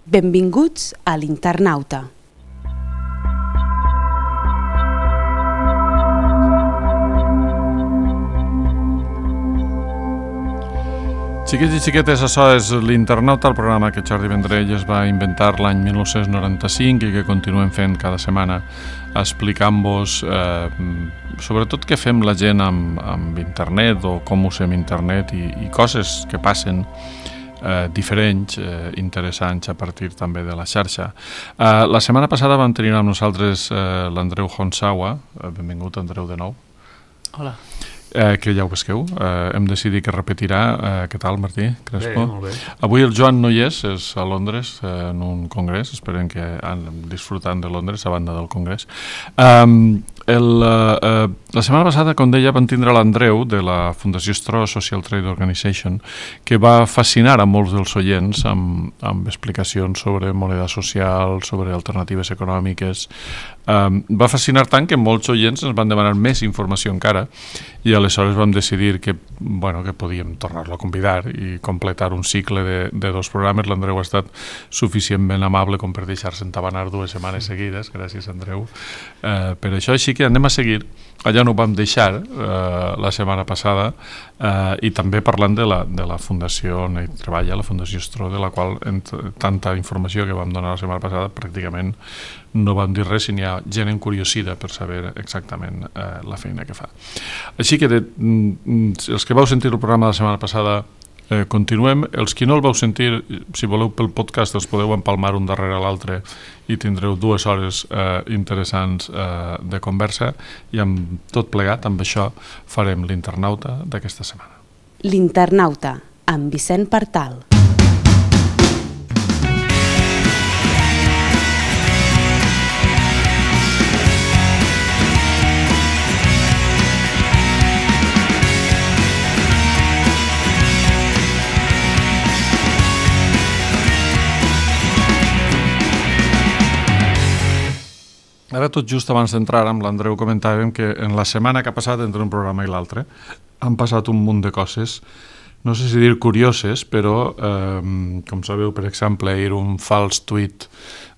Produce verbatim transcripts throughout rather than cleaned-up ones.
Benvinguts a l'Internauta. Xiquets i xiquetes, això és l'Internauta, el programa que Jordi Vendrell es va inventar l'any mil nou-cents noranta-cinc i que continuem fent cada setmana, explicant-vos eh, sobretot què fem la gent amb, amb internet o com usem internet i, i coses que passen eh, diferents, eh, interessants a partir també de la xarxa. Eh, la setmana passada vam tenir amb nosaltres eh, l'Andreu Honsawa. Eh, benvingut, Andreu, de nou. Hola. Eh, que ja ho vesqueu, eh, hem decidit que repetirà. Eh, què tal, Martí Crespo? Bé, molt bé. Avui el Joan no hi és, és a Londres eh, en un congrés, esperem que han disfrutant de Londres a banda del congrés. Um, el, uh, la setmana passada, com deia, vam tindre l'Andreu de la Fundació Stro Social Trade Organization, que va fascinar a molts dels oients amb, amb explicacions sobre moneda social, sobre alternatives econòmiques. Um, va fascinar tant que molts oients ens van demanar més informació encara i aleshores vam decidir que, bueno, que podíem tornar-lo a convidar i completar un cicle de, de dos programes. L'Andreu ha estat suficientment amable com per deixar-se entabanar dues setmanes seguides. Gràcies, Andreu, eh, per això. Així que anem a seguir allà on ho vam deixar eh, la setmana passada eh, i també parlant de la, de la fundació on hi treballa, la Fundació Stro, de la qual ent, tanta informació que vam donar la setmana passada pràcticament no vam dir res i n'hi ha gent encuriosida per saber exactament eh, la feina que fa. Així que de, mm, els que vau sentir el programa de la setmana passada eh, continuem. Els que no el vau sentir, si voleu pel podcast els podeu empalmar un darrere l'altre i tindreu dues hores eh, interessants eh, de conversa i amb tot plegat, amb això farem l'Internauta d'aquesta setmana. L'Internauta, amb Vicent Partal. Ara tot just abans d'entrar amb l'Andreu comentàvem que en la setmana que ha passat entre un programa i l'altre han passat un munt de coses, no sé si dir curioses, però eh, com sabeu, per exemple, ahir un fals tuit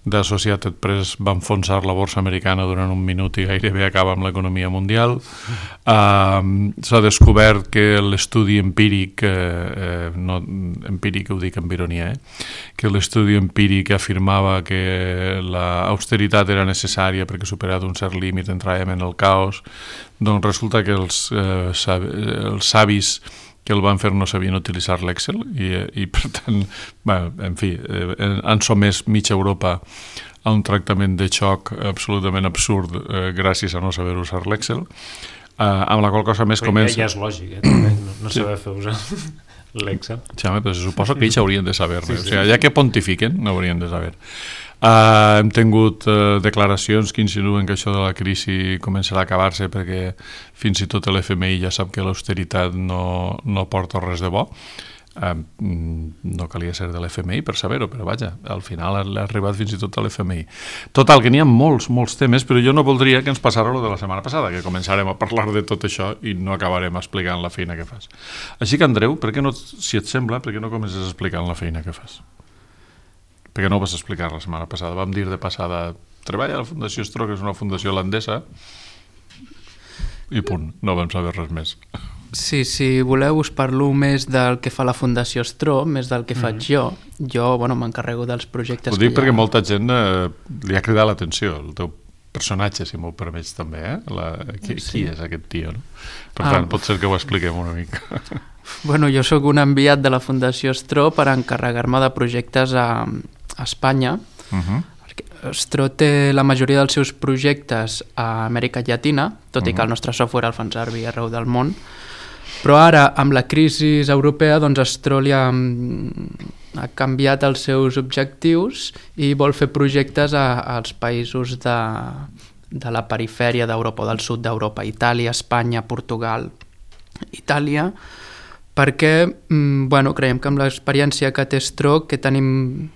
d'Associated Press va enfonsar la borsa americana durant un minut i gairebé acaba amb l'economia mundial. Uh, s'ha descobert que l'estudi empíric, eh, no, empíric ho dic amb ironia, eh, que l'estudi empíric afirmava que l'austeritat era necessària perquè superat un cert límit entràvem en el caos, doncs resulta que els, eh, sav els savis que el van fer no sabien utilitzar l'Excel i, i per tant, bueno, en fi, eh, han somès mitja Europa a un tractament de xoc absolutament absurd eh, gràcies a no saber usar l'Excel, eh, amb la qual cosa més però comença... Ja, ja és lògic, eh, també, no, no saber sí. fer usar l'Excel. Sí, home, però suposo que ells haurien de saber-ne, sí, sí. O sigui, ja que pontifiquen, no haurien de saber. Uh, hem tingut uh, declaracions que insinuen que això de la crisi començarà a acabar-se perquè fins i tot l'F M I ja sap que l'austeritat no, no porta res de bo. Uh, no calia ser de l'F M I per saber-ho, però vaja, al final ha arribat fins i tot a l'F M I. Total, que n'hi ha molts, molts temes, però jo no voldria que ens passara lo de la setmana passada, que començarem a parlar de tot això i no acabarem explicant la feina que fas. Així que, Andreu, per què no, si et sembla, per què no comences explicant la feina que fas? Perquè no ho vas explicar la setmana passada. Vam dir de passada, treballa a la Fundació Stro, que és una fundació holandesa, i punt, no vam saber res més. Sí, si voleu us parlo més del que fa la Fundació Stro, més del que faig jo. Jo, bueno, m'encarrego dels projectes... Ho dic que perquè ha... molta gent eh, li ha cridat l'atenció, el teu personatge, si m'ho permets també, eh? La... Qui, sí. Qui és aquest tio, no? Per ah. tant, pot ser que ho expliquem una mica. Bueno, jo sóc un enviat de la Fundació Stro per encarregar-me de projectes a, a Espanya. Uh-huh. Stro té la majoria dels seus projectes a Amèrica Llatina, tot uh-huh. i que el nostre software el fan servir arreu del món. Però ara, amb la crisi europea, doncs Stro li ha, ha canviat els seus objectius i vol fer projectes a, als països de, de la perifèria d'Europa, del sud d'Europa, Itàlia, Espanya, Portugal, Itàlia, perquè bueno, creiem que amb l'experiència que té Stro que tenim,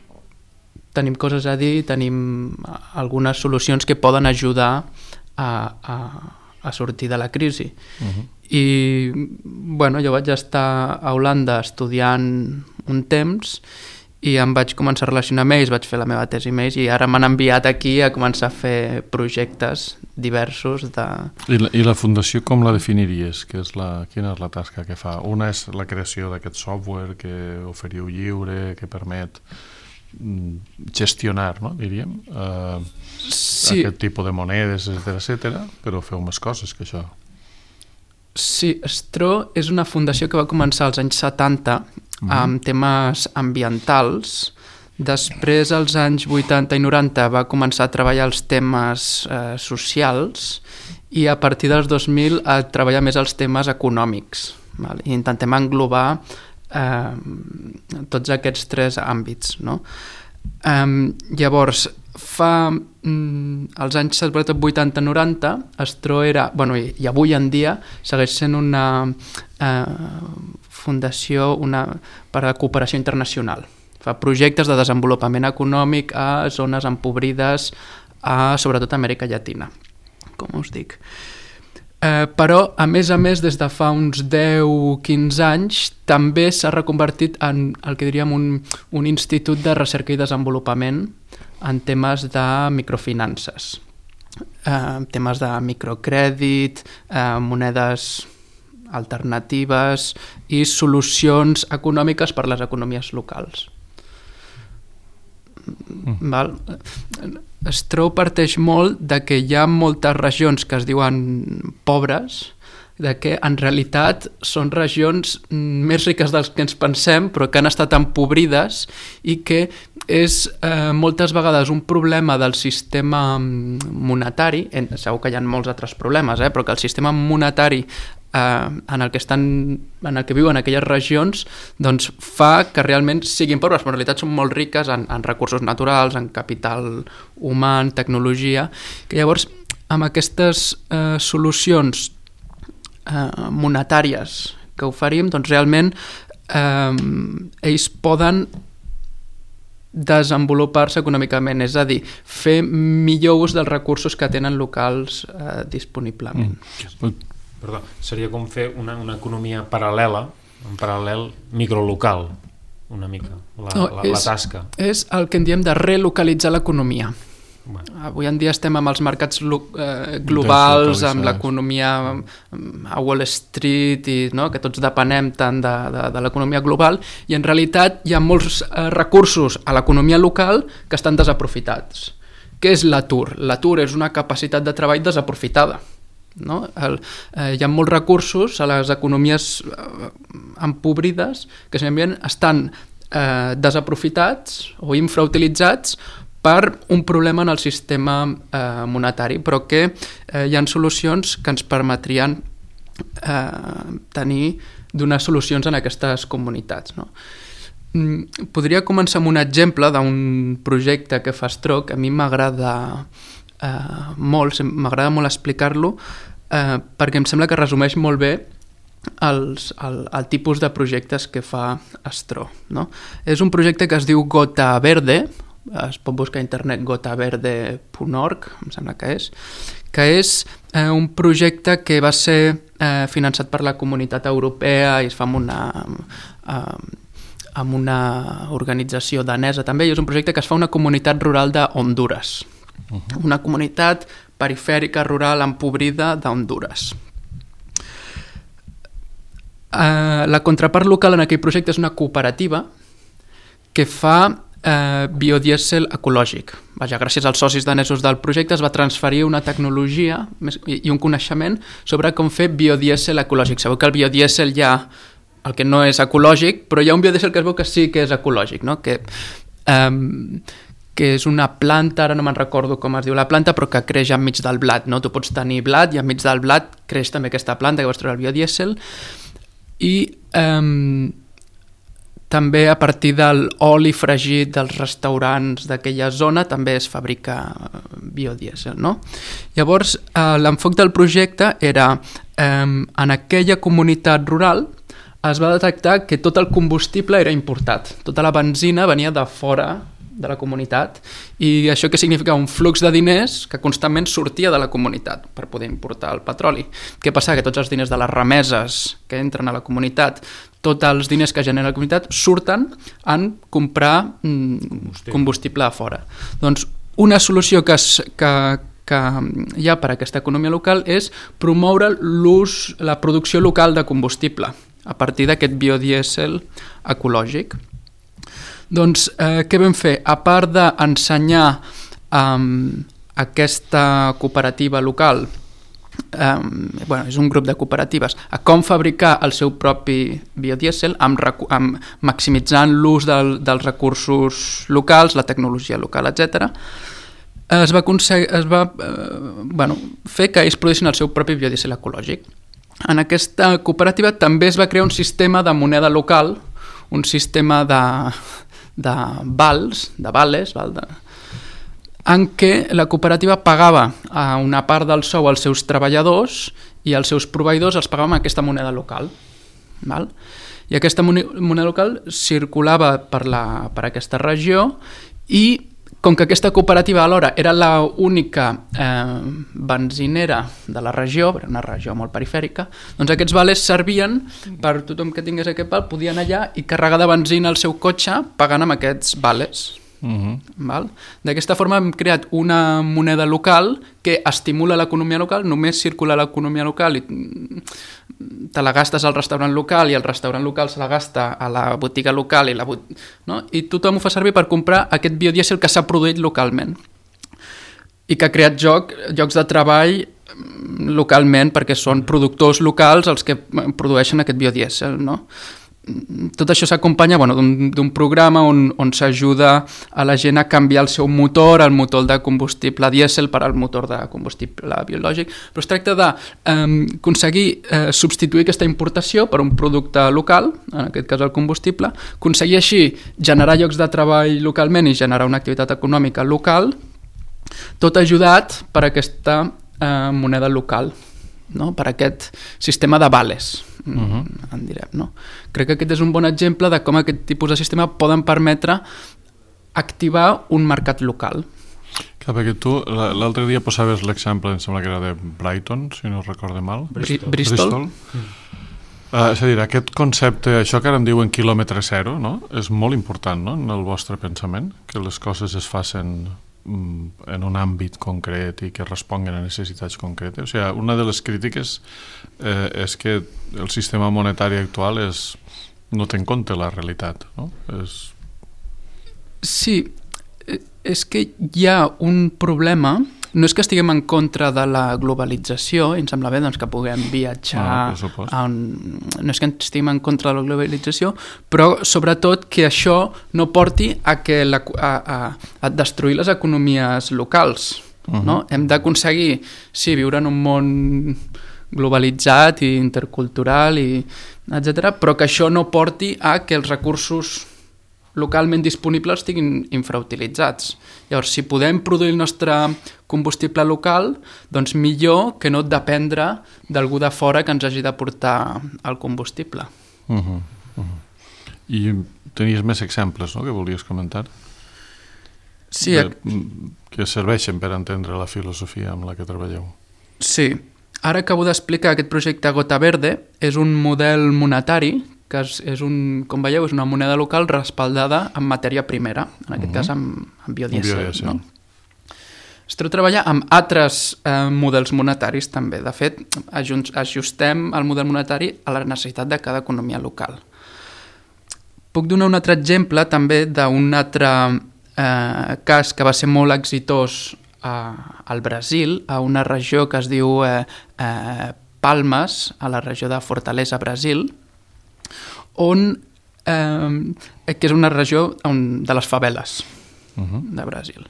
tenim coses a dir, tenim algunes solucions que poden ajudar a, a, a sortir de la crisi. Uh-huh. I bueno, jo vaig estar a Holanda estudiant un temps i em vaig començar a relacionar amb ells, vaig fer la meva tesi amb ells i ara m'han enviat aquí a començar a fer projectes diversos de... I la, i la fundació com la definiries? Que és la, quina és la tasca que fa? Una és la creació d'aquest software que oferiu lliure, que permet gestionar, no, diríem, eh, sí. aquest tipus de monedes, etcètera, etcètera, però feu més coses que això. Sí, Stro és una fundació que va començar als anys setanta uh-huh. amb temes ambientals. Després, als anys vuitanta i noranta, va començar a treballar els temes eh, socials i a partir dels dos mil a treballar més els temes econòmics. Val? I intentem englobar eh, tots aquests tres àmbits, no? Eh, llavors, fa mm, als anys vuitanta noranta, Stro era, bueno, i, i avui en dia segueix sent una eh, fundació una, per a cooperació internacional. Fa projectes de desenvolupament econòmic a zones empobrides, a, sobretot a Amèrica Llatina, com us dic. Eh, però, a més a més, des de fa uns deu quinze anys, també s'ha reconvertit en el que diríem un, un institut de recerca i desenvolupament en temes de microfinances, eh, temes de microcrèdit, eh, monedes alternatives i solucions econòmiques per les economies locals. Mm. Val? Stro parteix molt de que hi ha moltes regions que es diuen pobres, de que en realitat són regions més riques dels que ens pensem però que han estat empobrides i que és eh, moltes vegades un problema del sistema monetari, segur que hi ha molts altres problemes, eh, però que el sistema monetari eh, en el que estan, en el que viuen aquelles regions doncs fa que realment siguin pobres, però en realitat són molt riques en, en recursos naturals, en capital humà, en tecnologia, que llavors amb aquestes eh, solucions eh, monetàries que oferim, doncs realment eh, ells poden desenvolupar-se econòmicament, és a dir, fer millor ús dels recursos que tenen locals eh, disponiblement. Mm. Perdó, seria com fer una, una economia paral·lela, un paral·lel microlocal, una mica, la, no, la, és, la tasca. És el que en diem de relocalitzar l'economia. Bueno. Avui en dia estem amb els mercats eh, globals, amb l'economia a Wall Street, i, no, que tots depenem tant de, de, de l'economia global, i en realitat hi ha molts eh, recursos a l'economia local que estan desaprofitats. Què és l'atur? L'atur és una capacitat de treball desaprofitada. No? El, eh, hi ha molts recursos a les economies eh, empobrides que simplement estan eh, desaprofitats o infrautilitzats per un problema en el sistema eh, monetari, però que eh, hi ha solucions que ens permetrien eh, tenir, donar solucions en aquestes comunitats. No? Mm, podria començar amb un exemple d'un projecte que fa Stro, que a mi m'agrada eh, molt, m'agrada molt explicar-lo, eh, perquè em sembla que resumeix molt bé els, el, el tipus de projectes que fa Stro. No? És un projecte que es diu Gota Verde, es pot buscar a internet gota verde punt org, em sembla que és, que és eh, un projecte que va ser eh, finançat per la Comunitat Europea i es fa amb una, eh, amb una organització danesa també, i és un projecte que es fa a una comunitat rural de Honduras, uh-huh. una comunitat perifèrica rural empobrida d'Honduras. Eh, la contrapart local en aquell projecte és una cooperativa que fa Eh, biodièsel ecològic. Vaja, gràcies als socis danesos del projecte es va transferir una tecnologia i, i un coneixement sobre com fer biodièsel ecològic. Sabeu que el biodièsel hi ha el que no és ecològic, però hi ha un biodièsel que es veu que sí que és ecològic, no? que, eh, que és una planta, ara no me'n recordo com es diu la planta, però que creix enmig del blat. No? Tu pots tenir blat i enmig del blat creix també aquesta planta que vas treure el biodièsel, i eh, també a partir de l'oli fregit dels restaurants d'aquella zona també es fabrica biodièsel. No? Llavors, eh, l'enfoc del projecte era eh, en aquella comunitat rural es va detectar que tot el combustible era importat. Tota la benzina venia de fora de la comunitat, i això què significa? Un flux de diners que constantment sortia de la comunitat per poder importar el petroli. Què passa? Que tots els diners de les remeses que entren a la comunitat, tots els diners que genera la comunitat, surten en comprar combustible, combustible a fora. Doncs una solució que, es, que, que hi ha per a aquesta economia local és promoure l'ús, la producció local de combustible a partir d'aquest biodièsel ecològic. Doncs eh, què vam fer? A part d'ensenyar um, aquesta cooperativa local, um, bueno, és un grup de cooperatives, a com fabricar el seu propi biodièsel amb, amb maximitzant l'ús del, dels recursos locals, la tecnologia local, etcètera, es va, es va eh, bueno, fer que ells produïssin el seu propi biodièsel ecològic. En aquesta cooperativa també es va crear un sistema de moneda local, un sistema de, de vals, de vales, val, de, en què la cooperativa pagava a una part del sou als seus treballadors i els seus proveïdors els pagaven amb aquesta moneda local. Val? I aquesta moneda local circulava per, la, per aquesta regió i com que aquesta cooperativa alhora era l'única eh, benzinera de la regió, era una regió molt perifèrica, doncs aquests vales servien per tothom que tingués aquest val, podien allà i carregar de benzina el seu cotxe pagant amb aquests vales. Uh-huh. Val? D'aquesta forma hem creat una moneda local que estimula l'economia local, només circula l'economia local i te la gastes al restaurant local i el restaurant local se la gasta a la botiga local i, la bot... no? I tothom ho fa servir per comprar aquest biodièsel que s'ha produït localment i que ha creat joc, llocs de treball localment perquè són productors locals els que produeixen aquest biodièsel, no? Tot això s'acompanya bueno, d'un programa on, on s'ajuda a la gent a canviar el seu motor, el motor de combustible dièsel per al motor de combustible biològic, però es tracta d'aconseguir eh, eh, substituir aquesta importació per un producte local, en aquest cas el combustible, aconseguir així generar llocs de treball localment i generar una activitat econòmica local, tot ajudat per aquesta eh, moneda local, no? Per aquest sistema de vales. Uh-huh. En direm, no? Crec que aquest és un bon exemple de com aquest tipus de sistema poden permetre activar un mercat local. Clar, perquè tu l'altre dia posaves l'exemple, em sembla que era de Brighton, si no recordo mal. Bristol. Bristol. Mm. Uh, és a dir, aquest concepte, això que ara en diuen quilòmetre zero, no? És molt important, no?, en el vostre pensament, que les coses es facin en un àmbit concret i que responguen a necessitats concretes. O sigui, una de les crítiques eh, és que el sistema monetari actual és, no té en compte la realitat, no? És... Sí, és que hi ha un problema. No és que estiguem en contra de la globalització, i em sembla bé doncs, que puguem viatjar, ah, a un... no és que estiguem en contra de la globalització, però sobretot que això no porti a, que la, a, a, a destruir les economies locals. Uh-huh. No? Hem d'aconseguir, sí, viure en un món globalitzat i intercultural, i etcètera, però que això no porti a que els recursos localment disponibles estiguin infrautilitzats. Llavors, si podem produir el nostre combustible local, doncs millor que no dependre d'algú de fora que ens hagi de portar el combustible. Uh-huh, uh-huh. I tenies més exemples, no?, que volies comentar? Sí. De, que serveixen per entendre la filosofia amb la que treballeu. Sí. Ara acabo d'explicar aquest projecte Gota Verde. És un model monetari que és, és un, com veieu, és una moneda local respaldada en matèria primera, en aquest uh-huh. cas amb, amb biodièsel. biodièsel. No? Es treu treballar amb altres eh, models monetaris també. De fet, ajustem el model monetari a la necessitat de cada economia local. Puc donar un altre exemple també d'un altre eh, cas que va ser molt exitós a, al Brasil, a una regió que es diu eh, eh, Palmas, a la regió de Fortaleza, Brasil, on, eh, que és una regió on, de les faveles uh-huh. de Brasil.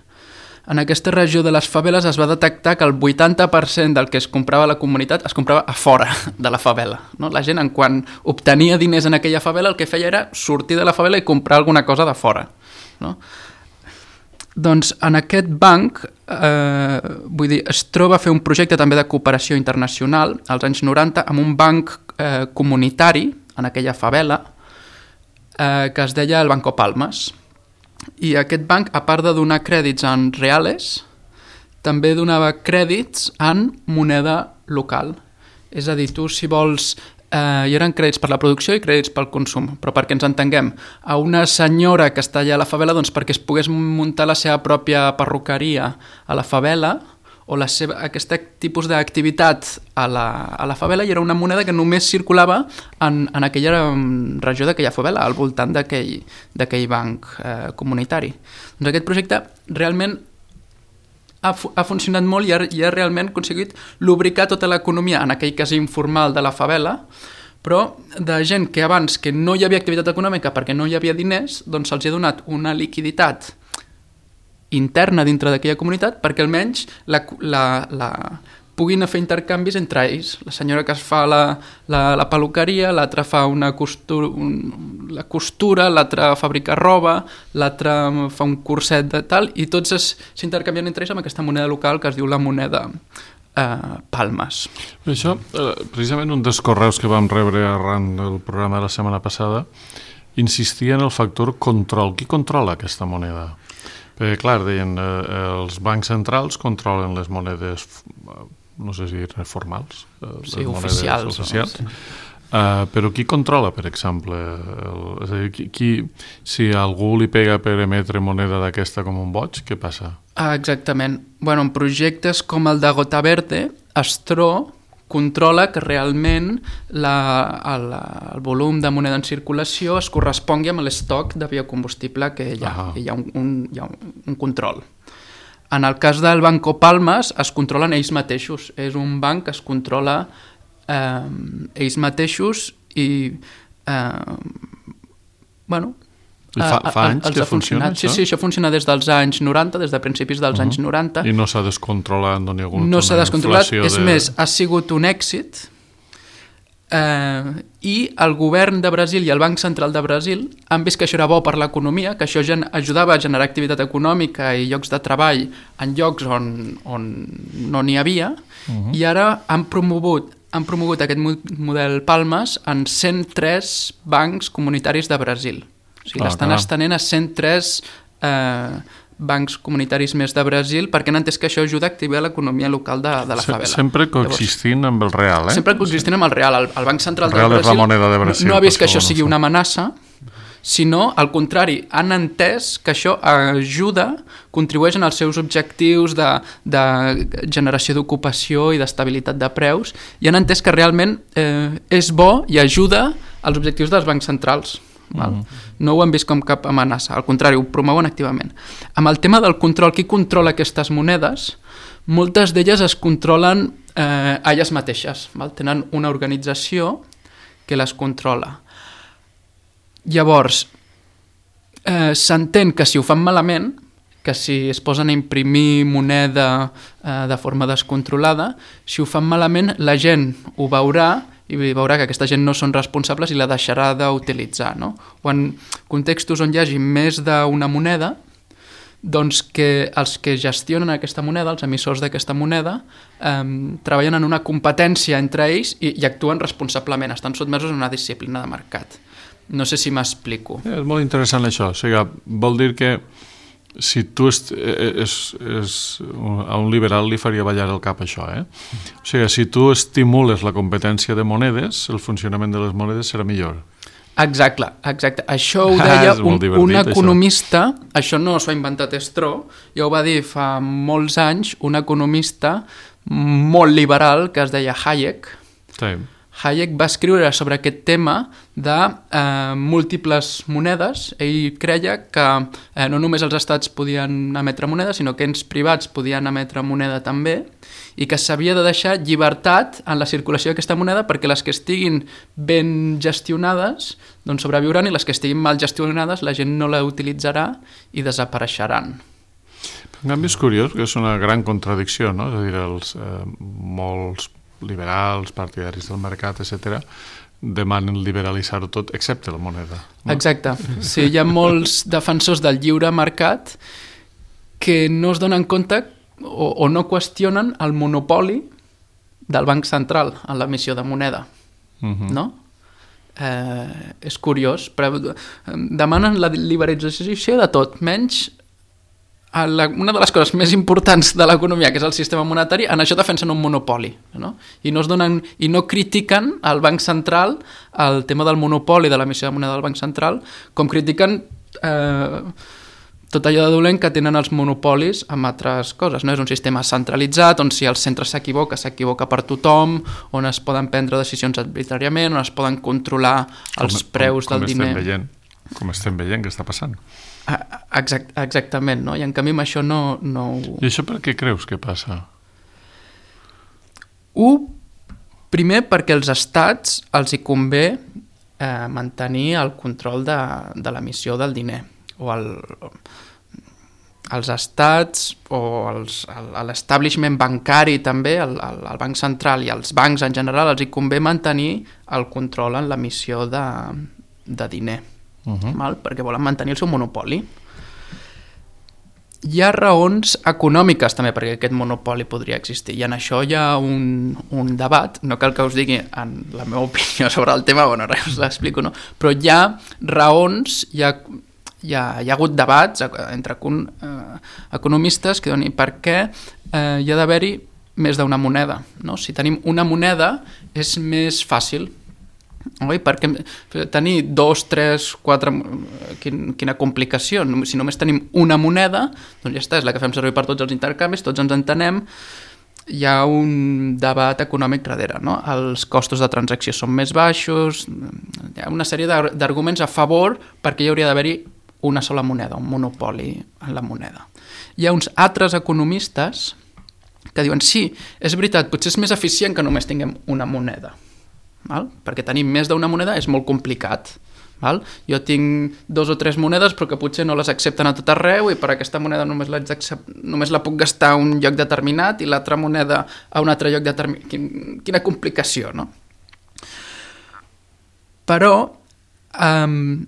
En aquesta regió de les faveles es va detectar que el vuitanta per cent del que es comprava a la comunitat es comprava a fora de la favela. No? La gent, en quan obtenia diners en aquella favela, el que feia era sortir de la favela i comprar alguna cosa de fora. No? Doncs en aquest banc, eh, vull dir, es troba a fer un projecte també de cooperació internacional als anys noranta amb un banc eh, comunitari en aquella favela eh, que es deia el Banco Palmas. I aquest banc, a part de donar crèdits en reales, també donava crèdits en moneda local. És a dir, tu si vols... Eh, hi eren crèdits per la producció i crèdits pel consum, però perquè ens entenguem, a una senyora que està allà a la favela, doncs perquè es pogués muntar la seva pròpia perruqueria a la favela, o la seva, aquest tipus d'activitat a la, a la favela, i era una moneda que només circulava en, en aquella regió d'aquella favela, al voltant d'aquell d'aquell banc eh, comunitari. Doncs aquest projecte realment ha, ha funcionat molt i ha, i ha realment aconseguit lubricar tota l'economia en aquell cas informal de la favela, però de gent que abans que no hi havia activitat econòmica perquè no hi havia diners, doncs se'ls ha donat una liquiditat interna dintre d'aquella comunitat perquè almenys la, la, la, puguin fer intercanvis entre ells. La senyora que es fa la, la, la peluqueria, l'altra fa una costura, un, la costura, l'altra fabrica roba, l'altra fa un curset de tal, i tots s'intercanvien entre ells amb aquesta moneda local que es diu la moneda eh, Palmes. Això, eh, precisament un dels correus que vam rebre arran del programa de la setmana passada insistia en el factor control. Qui controla aquesta moneda? Perquè, clar, deien, eh, els bancs centrals controlen les monedes, no sé si dir formals, eh, sí, les oficials. oficials. No? Sí. Uh, però qui controla, per exemple? El, és a dir, qui, qui, si algú li pega per emetre moneda d'aquesta com un boig, què passa? Ah, exactament. Bueno, en projectes com el de Gota Verde, Astro controla que realment la, el, el volum de moneda en circulació es correspongui amb l'estoc de biocombustible que hi ha. Ah. Hi ha, un, un, hi ha un, un control. En el cas del Banco Palmes es controlen ells mateixos. És un banc que es controla eh, ells mateixos i eh, bueno... Fa, fa anys que funciona això? Sí, sí, això funciona des dels anys noranta, des de principis dels uh -huh. anys noranta. I no s'ha descontrolat, no n'hi ha hagut no s'ha descontrolat, és de... més, ha sigut un èxit eh, i el govern de Brasil i el Banc Central de Brasil han vist que això era bo per l'economia, que això ajudava a generar activitat econòmica i llocs de treball en llocs on, on no n'hi havia, uh -huh. i ara han promogut, han promogut aquest model Palmes en cent tres bancs comunitaris de Brasil. O sigui, ah, l'estan estenent a cent tres eh, bancs comunitaris més de Brasil perquè han entès que això ajuda a activar l'economia local de, de la favela. Sempre coexistint Llavors, amb el real, eh? Sempre coexistint amb el real. El, el Banc Central el real de Brasil, és la moneda de Brasil no, no ha vist que això sigui no una amenaça, sinó, al contrari, han entès que això ajuda, contribueix en els seus objectius de, de generació d'ocupació i d'estabilitat de preus, i han entès que realment eh, és bo i ajuda als objectius dels bancs centrals. Val? Mm. No ho han vist com cap amenaça, al contrari, ho promouen activament. Amb el tema del control, qui controla aquestes monedes? Moltes d'elles es controlen eh, a elles mateixes, val? Tenen una organització que les controla. Llavors, eh, s'entén que si ho fan malament, que si es posen a imprimir moneda eh, de forma descontrolada, si ho fan malament, la gent ho veurà i veurà que aquesta gent no són responsables i la deixarà d'utilitzar, no? O en contextos on hi hagi més d'una moneda, doncs que els que gestionen aquesta moneda, els emissors d'aquesta moneda, eh, treballen en una competència entre ells i, i actuen responsablement, estan sotmesos a una disciplina de mercat. No sé si m'explico. És molt interessant això, o sigui, vol dir que si tu és, és, és, a un liberal li faria ballar el cap això, eh? O sigui, si tu estimules la competència de monedes, el funcionament de les monedes serà millor. Exacte, exacte. Això ho deia ah, un, divertit, un economista, això. això no s'ho ha inventat Estro, ja ho va dir fa molts anys un economista molt liberal que es deia Hayek. Sí. Hayek va escriure sobre aquest tema de eh, múltiples monedes. Ell creia que eh, no només els estats podien emetre moneda, sinó que ens privats podien emetre moneda també, i que s'havia de deixar llibertat en la circulació d'aquesta moneda perquè les que estiguin ben gestionades doncs sobreviuran i les que estiguin mal gestionades la gent no la utilitzarà i desapareixeran. En canvi és curiós, que és una gran contradicció, no? És a dir, els, eh, molts liberals, partidaris del mercat, etcètera, demanen liberalitzar-ho tot, excepte la moneda. No? Exacte. Sí, hi ha molts defensors del lliure mercat que no es donen compte o, o no qüestionen el monopoli del Banc Central en l'emissió de moneda. Uh-huh. No? eh, és curiós, però demanen la liberalització de tot, menys la, una de les coses més importants de l'economia, que és el sistema monetari, en això defensen un monopoli, no? I no es donen, i no critiquen al Banc Central el tema del monopoli de l'emissió de moneda del Banc Central, com critiquen eh, tot allò de dolent que tenen els monopolis amb altres coses, no? És un sistema centralitzat on si el centre s'equivoca, s'equivoca per tothom, on es poden prendre decisions arbitràriament, on es poden controlar els com, preus com, com del diner. Estem veient, com estem veient que està passant. Exact, exactament, no? I en canvi amb això no, no... I això per què creus que passa? Un, primer perquè als estats els hi convé eh, mantenir el control de, de l'emissió del diner, o el, els estats o els, l'establishment bancari també, el, el, el Banc Central i els bancs en general els hi convé mantenir el control en l'emissió de, de diner. Uh-huh. Val? Perquè volen mantenir el seu monopoli. Hi ha raons econòmiques també perquè aquest monopoli podria existir, i en això hi ha un, un debat, no cal que us digui en la meva opinió sobre el tema, bueno, res, us l'explico, no? Però hi ha raons, hi ha, hi ha, hi ha hagut debats entre eh, economistes que donen per què eh, hi ha d'haver-hi més d'una moneda, no? Si tenim una moneda és més fàcil. Oi? Perquè tenir dos, tres, quatre... Quin, quina complicació. Si només tenim una moneda, doncs ja està, és la que fem servir per tots els intercanvis, tots ens entenem, hi ha un debat econòmic darrere, no? Els costos de transacció són més baixos, hi ha una sèrie d'arguments a favor perquè hi hauria d'haver-hi una sola moneda, un monopoli en la moneda. Hi ha uns altres economistes que diuen sí, és veritat, potser és més eficient que només tinguem una moneda. Val? Perquè tenir més d'una moneda és molt complicat. Val? Jo tinc dos o tres monedes però que potser no les accepten a tot arreu i per aquesta moneda només, només la puc gastar a un lloc determinat i l'altra moneda a un altre lloc determinat. Quin, quina complicació, no? Però um,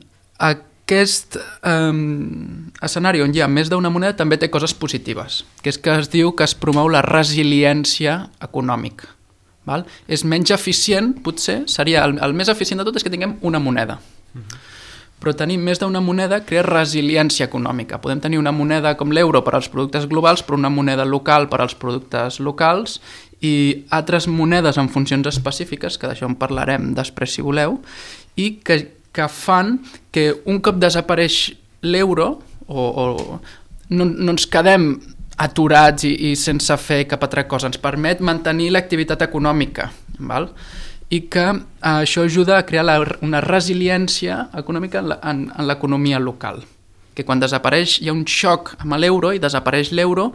aquest um, escenari on hi ha més d'una moneda també té coses positives, que és que es diu que es promou la resiliència econòmica. Val? És menys eficient, potser, seria el, el més eficient de tot és que tinguem una moneda. Uh-huh. Però tenir més d'una moneda crea resiliència econòmica. Podem tenir una moneda com l'euro per als productes globals, però una moneda local per als productes locals i altres monedes en funcions específiques, que d'això en parlarem després si voleu, i que, que fan que un cop desapareix l'euro o, o no, no ens quedem aturats i, i sense fer cap altra cosa. Ens permet mantenir l'activitat econòmica, val? I que eh, això ajuda a crear la, una resiliència econòmica en, la, en, en l'economia local. Que quan desapareix hi ha un xoc amb l'euro i desapareix l'euro,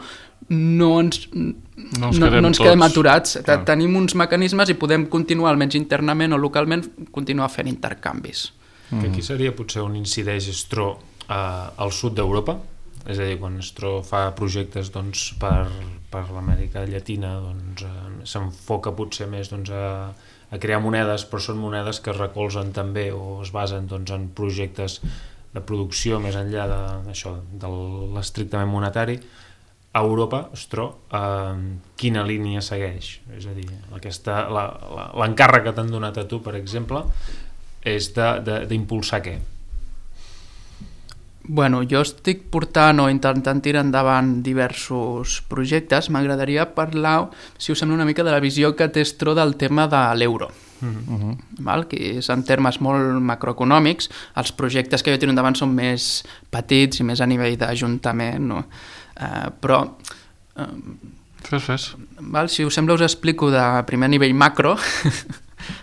no ens, no ens, no, no ens quedem aturats. Clar. Tenim uns mecanismes i podem continuar, almenys internament o localment, continuar fent intercanvis. Que aquí seria potser on incideix Stró eh, al sud d'Europa. És a dir, quan Stró fa projectes doncs, per, per l'Amèrica Llatina doncs, eh, s'enfoca potser més doncs, a, a crear monedes, però són monedes que es recolzen també o es basen doncs, en projectes de producció més enllà de, d'això, de l'estrictament monetari. A Europa, Stró, eh, quina línia segueix? És a dir, aquesta, la, la, l'encàrrec que t'han donat a tu, per exemple, és de, de, d'impulsar què? Bueno, jo estic portant o intentant tirar endavant diversos projectes. M'agradaria parlar, si us sembla, una mica de la visió que té Stró del tema de l'euro. Uh-huh. Val? Que és en termes molt macroeconòmics. Els projectes que jo tiro endavant són més petits i més a nivell d'ajuntament, no? Uh, però... Uh, fes, fes. Val? Si us sembla, us explico de primer nivell macro.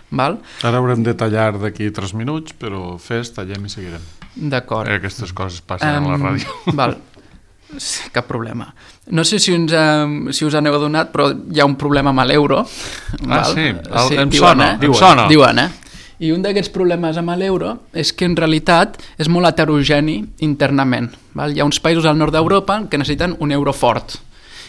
Val? Ara haurem de tallar d'aquí tres minuts, però fes, tallem i seguirem. D'acord. Eh, aquestes coses passen um, a la ràdio. Val. Sí, cap problema. No sé si us, um, si us aneu adonat, però hi ha un problema amb l'euro. Ah, sí? El, sí em, diuen, sona, eh? em diuen, sona. Diuen, eh? I un d'aquests problemes amb l'euro és que en realitat és molt heterogeni internament. Val? Hi ha uns països al nord d'Europa que necessiten un euro fort.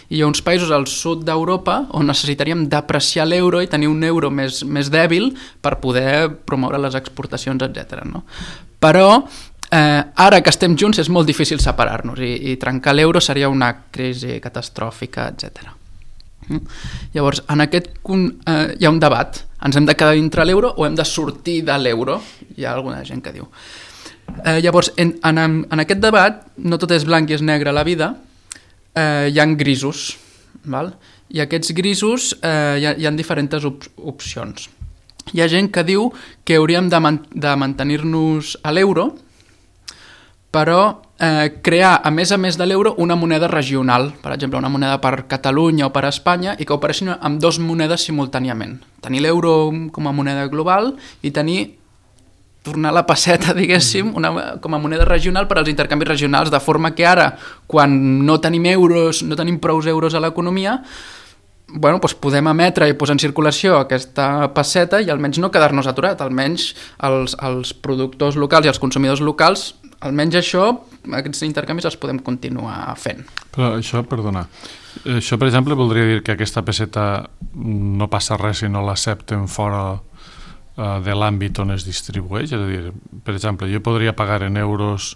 I hi ha uns països al sud d'Europa on necessitaríem depreciar l'euro i tenir un euro més, més dèbil per poder promoure les exportacions, etcètera. No? Però eh, ara que estem junts és molt difícil separar-nos i, i trencar l'euro seria una crisi catastròfica, etcètera. Llavors, en aquest punt eh, hi ha un debat. Ens hem de quedar dintre l'euro o hem de sortir de l'euro? Hi ha alguna gent que diu. Eh, llavors, en, en, en aquest debat, no tot és blanc i és negre a la vida, eh, hi ha grisos, val? I aquests grisos eh, hi, ha, hi ha diferents op opcions. Hi ha gent que diu que hauríem de, man de mantenir-nos a l'euro, però eh, crear, a més a més de l'euro, una moneda regional, per exemple, una moneda per Catalunya o per Espanya, i que operessin amb dues monedes simultàniament. Tenir l'euro com a moneda global i tenir, tornar la pesseta, diguéssim, una, com a moneda regional per als intercanvis regionals, de forma que ara, quan no tenim euros, no tenim prous euros a l'economia, bueno, doncs podem emetre i posar en circulació aquesta pesseta i almenys no quedar-nos aturat, almenys els, els productors locals i els consumidors locals, almenys això, aquests intercanvis els podem continuar fent. Però això, perdona, això per exemple voldria dir que aquesta pesseta no passa res si no l'accepten fora uh, de l'àmbit on es distribueix, és a dir, per exemple, jo podria pagar en euros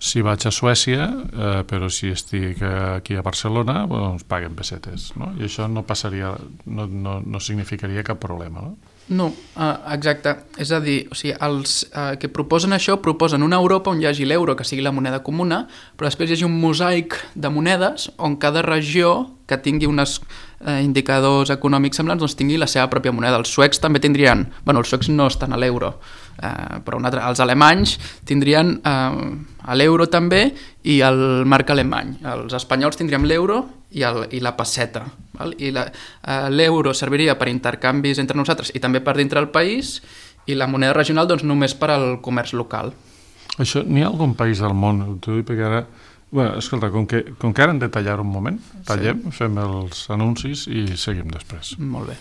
si vaig a Suècia, eh, però si estic aquí a Barcelona, bueno, ens paguen pessetes, no? I això no passaria, no, no, no significaria cap problema, no? No, uh, exacte. És a dir, o sigui, els uh, que proposen això proposen una Europa on hi hagi l'euro, que sigui la moneda comuna, però després hi hagi un mosaic de monedes on cada regió que tingui uns eh, indicadors econòmics semblants doncs tingui la seva pròpia moneda. Els suecs també tindrien... Bueno, els suecs no estan a l'euro, eh, però un altre, els alemanys tindrien eh, l'euro també i el marc alemany. Els espanyols tindríem l'euro i, el, i la pesseta. Val? I l'euro serviria per intercanvis entre nosaltres i també per dintre del país, i la moneda regional doncs, només per al comerç local. Això, n'hi ha algun país del món, t'ho dic perquè ara... Bueno, escolta, com que, com que ara hem de tallar un moment, tallem, sí. Fem els anuncis i seguim després. Molt bé.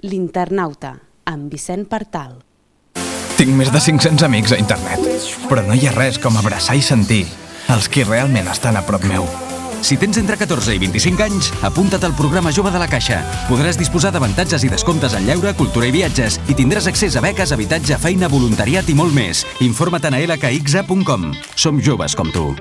L'Internauta, amb Vicent Partal. Tinc més de cinc-cents amics a internet, però no hi ha res com abraçar i sentir els qui realment estan a prop meu. Si tens entre catorze i vint-i-cinc anys, apunta't al programa Jove de la Caixa. Podràs disposar d'avantatges i descomptes en lleure, cultura i viatges i tindràs accés a beques, habitatge, feina, voluntariat i molt més. Informa't a l k x a punt com. Som joves com tu.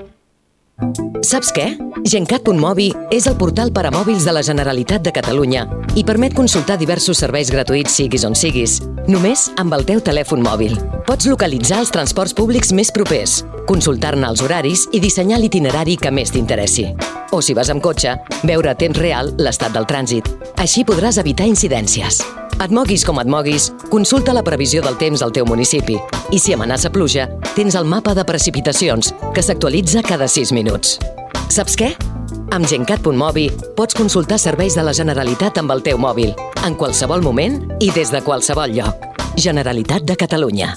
Saps què? Gencat punt mobi és el portal per a mòbils de la Generalitat de Catalunya i permet consultar diversos serveis gratuïts siguis on siguis, només amb el teu telèfon mòbil. Pots localitzar els transports públics més propers, consultar-ne els horaris i dissenyar l'itinerari que més t'interessi. O si vas amb cotxe, veure a temps real l'estat del trànsit. Així podràs evitar incidències. Et moguis com et moguis, consulta la previsió del temps al teu municipi. I si amenaça pluja, tens el mapa de precipitacions, que s'actualitza cada sis minuts. Saps què? Amb Gencat punt mobi pots consultar serveis de la Generalitat amb el teu mòbil, en qualsevol moment i des de qualsevol lloc. Generalitat de Catalunya.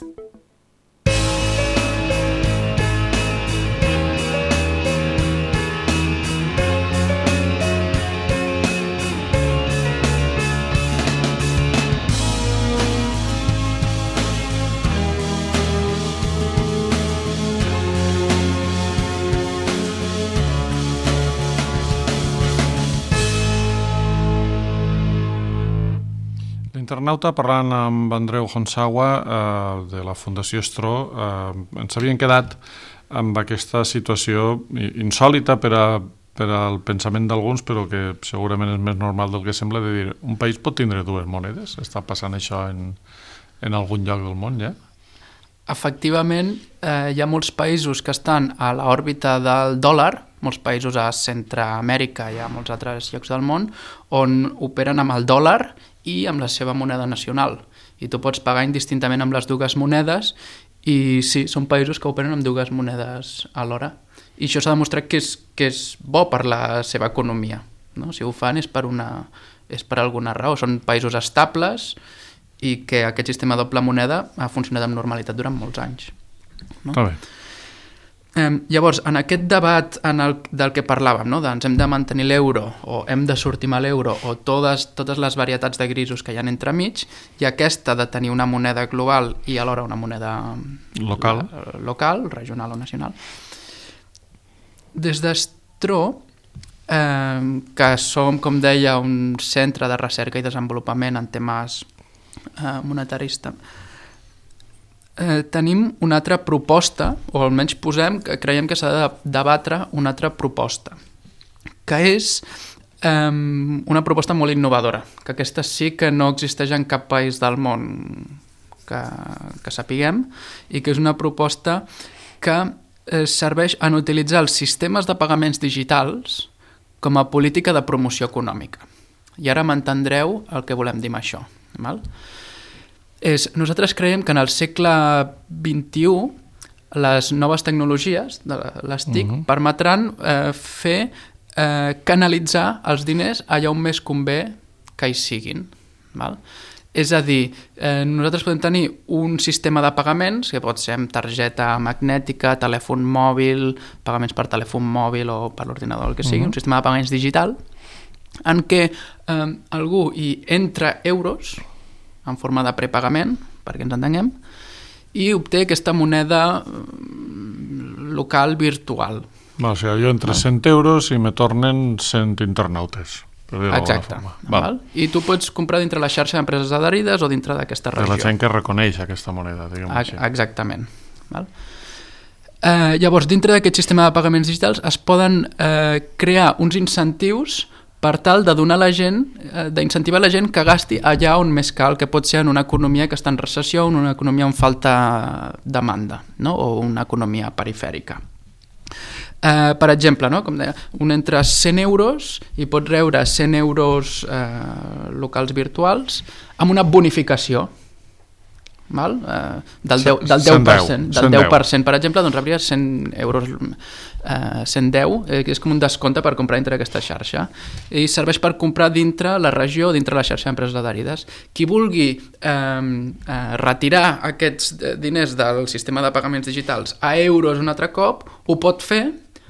Internauta, parlant amb Andreu Honsawa eh, de la Fundació Stro, eh, ens havien quedat amb aquesta situació insòlita per, a, per al pensament d'alguns, però que segurament és més normal del que sembla, de dir, un país pot tindre dues monedes? Està passant això en, en algun lloc del món, ja? Efectivament, eh, hi ha molts països que estan a l'òrbita del dòlar, molts països a Centreamèrica i a molts altres llocs del món, on operen amb el dòlar i amb la seva moneda nacional. I tu pots pagar indistintament amb les dues monedes i sí, són països que operen amb dues monedes alhora. I això s'ha demostrat que és, que és bo per la seva economia. No? Si ho fan és per, una, és per alguna raó. Són països estables i que aquest sistema de doble moneda ha funcionat amb normalitat durant molts anys. No? Està bé. Eh, llavors, en aquest debat en el, del que parlàvem, no? de ens hem de mantenir l'euro o hem de sortir amb l'euro o totes, totes les varietats de grisos que hi ha entremig, i aquesta de tenir una moneda global i alhora una moneda local, la, local regional o nacional. Des d'Stro, eh, que som, com deia, un centre de recerca i desenvolupament en temes eh, monetaris, eh, tenim una altra proposta, o almenys posem que creiem que s'ha de debatre una altra proposta, que és eh, una proposta molt innovadora, que aquesta sí que no existeix en cap país del món que, que sapiguem, i que és una proposta que eh, serveix en utilitzar els sistemes de pagaments digitals com a política de promoció econòmica. I ara m'entendreu el que volem dir amb això. Val? És, nosaltres creiem que en el segle vint-i-u les noves tecnologies de les T I C uh-huh. permetran eh, fer eh, canalitzar els diners allà on més convé que hi siguin. Val? És a dir, eh, nosaltres podem tenir un sistema de pagaments, que pot ser amb targeta magnètica, telèfon mòbil, pagaments per telèfon mòbil o per l'ordinador, el que sigui, uh-huh. un sistema de pagaments digital, en què eh, algú hi entra euros en forma de prepagament, perquè ens entenguem, i obté aquesta moneda local virtual. No, o sigui, jo entre cent euros i me tornen cent internautes. Exacte. Val. I tu pots comprar dintre la xarxa d'empreses adherides o dintre d'aquesta regió. De la gent que reconeix aquesta moneda, diguem així. Exactament. Val. Eh, llavors, dintre d'aquest sistema de pagaments digitals es poden eh, crear uns incentius per tal de donar a la gent, eh, d'incentivar la gent que gasti allà on més cal, que pot ser en una economia que està en recessió o en una economia on falta demanda, no? O una economia perifèrica. Eh, per exemple, no? Com deia, un entra cent euros i pot rebre cent euros eh, locals virtuals amb una bonificació. Val? Eh, del, deu, del deu per cent, del deu per cent, per exemple, doncs rebria cent euros, eh, cent deu, eh, que és com un descompte per comprar dintre d'aquesta xarxa, i serveix per comprar dintre la regió, dintre la xarxa d'empreses adherides. Qui vulgui eh, eh, retirar aquests diners del sistema de pagaments digitals a euros un altre cop, ho pot fer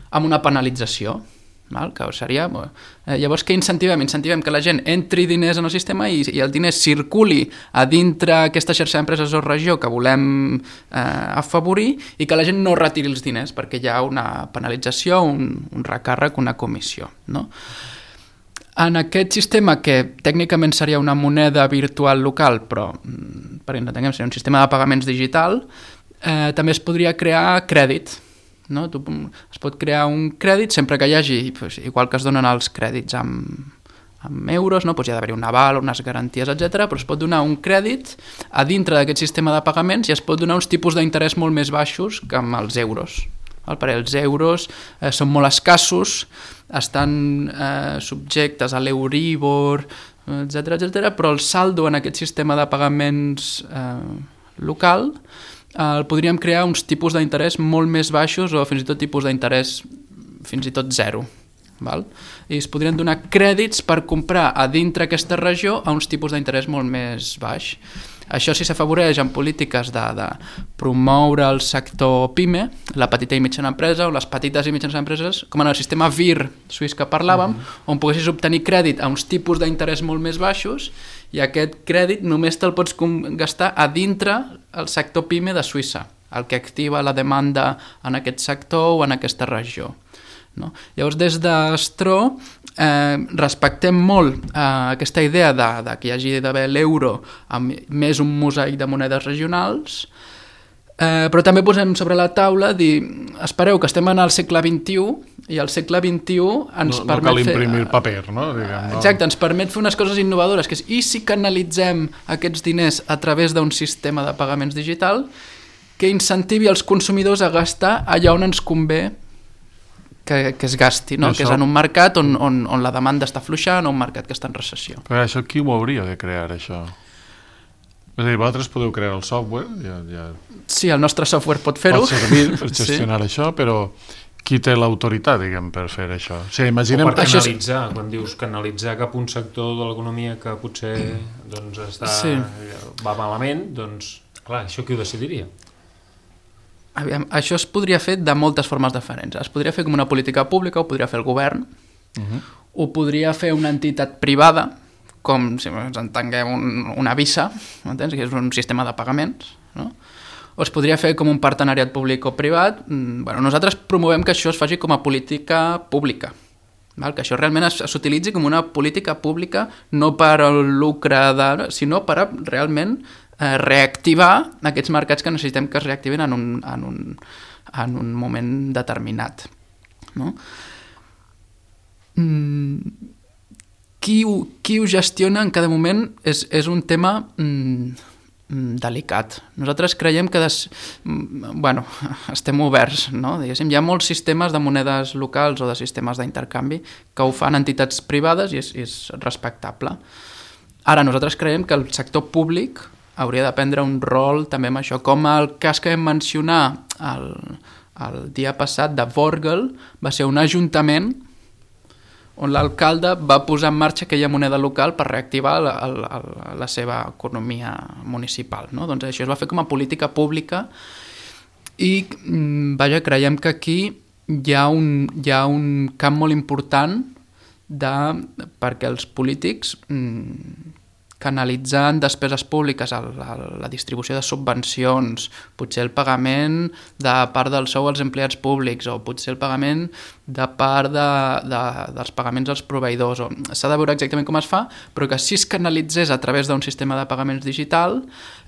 amb una penalització. Val? Que seria, eh, llavors què incentivem? Incentivem que la gent entri diners en el sistema i, i el diner circuli a dintre aquesta xarxa d'empreses o regió que volem eh, afavorir, i que la gent no retiri els diners perquè hi ha una penalització, un, un recàrrec, una comissió, no? En aquest sistema, que tècnicament seria una moneda virtual local, però perquè entenguem, seria un sistema de pagaments digital, eh, també es podria crear crèdit. No? Tu, es pot crear un crèdit sempre que hi hagi, pues, igual que es donen els crèdits amb, amb euros, no? Pues hi ha d'haver un aval, unes garanties, etcètera, però es pot donar un crèdit a dintre d'aquest sistema de pagaments i es pot donar uns tipus d'interès molt més baixos que amb els euros. Perquè els euros eh, són molt escassos, estan eh, subjectes a l'Euribor, etcètera, etcètera, però el saldo en aquest sistema de pagaments eh, local el podríem crear uns tipus d'interès molt més baixos o fins i tot tipus d'interès fins i tot zero. Val? I es podrien donar crèdits per comprar a dintre aquesta regió a uns tipus d'interès molt més baix. Això sí s'afavoreix en polítiques de, de promoure el sector PIME, la petita i mitjana empresa, o les petites i mitjanes empreses, com en el sistema V I R suís que parlàvem, mm-hmm. on poguessis obtenir crèdit a uns tipus d'interès molt més baixos, i aquest crèdit només te'l pots gastar a dintre el sector PIME de Suïssa, el que activa la demanda en aquest sector o en aquesta regió. No? Llavors, des d'Stro eh, respectem molt eh, aquesta idea de, de que hi hagi d'haver l'euro amb més un mosaic de monedes regionals, eh, però també posem sobre la taula dir, espereu que estem en el segle vint-i-u i el segle vint-i-u ens no, no permet cal imprimir fer, paper, no? Diguem, no? Exacte, ens permet fer unes coses innovadores, que és, i si canalitzem aquests diners a través d'un sistema de pagaments digital que incentivi els consumidors a gastar allà on ens convé que, que es gasti, no? Això... que és en un mercat on, on, on la demanda està fluixant o un mercat que està en recessió. Però això qui ho hauria de crear, això? És a dir, vosaltres podeu crear el software, ja, ja... Sí, el nostre software pot fer-ho. Pot servir per gestionar sí. això, però qui té l'autoritat, diguem, per fer això? O sigui, imaginem... O per canalitzar, és... quan dius canalitzar cap a un sector de l'economia que potser doncs, està, sí. va malament, doncs, clar, això qui ho decidiria? Aviam, això es podria fer de moltes formes diferents. Es podria fer com una política pública, ho podria fer el govern, uh-huh. ho podria fer una entitat privada, com, si ens entenguem, un, una Visa, m'entens? Que és un sistema de pagaments, no? O es podria fer com un partenariat públic o privat. Bueno, nosaltres promovem que això es faci com a política pública, val? Que això realment s'utilitzi com una política pública, no per al lucre, de, sinó per a realment eh, reactivar aquests mercats que necessitem que es reactivin en un, en un, en un moment determinat. No? Mm, qui, ho, qui ho gestiona en cada moment és, és un tema mm, delicat. Nosaltres creiem que des... bueno, estem oberts, no? Diguéssim, hi ha molts sistemes de monedes locals o de sistemes d'intercanvi que ho fan entitats privades i és, és respectable. Ara, nosaltres creiem que el sector públic hauria de prendre un rol també amb això, com el cas que vam mencionar el, el dia passat de Vorgel, va ser un ajuntament on l'alcalde va posar en marxa aquella moneda local per reactivar la, la, la seva economia municipal. No? Doncs això es va fer com a política pública i vaja, creiem que aquí hi ha un, hi ha un camp molt important de, perquè els polítics mm, canalitzant despeses públiques a la, a la distribució de subvencions, potser el pagament de part del sou als empleats públics o potser el pagament de part de, de, dels pagaments als proveïdors. S'ha de veure exactament com es fa, però que si es canalitzés a través d'un sistema de pagaments digital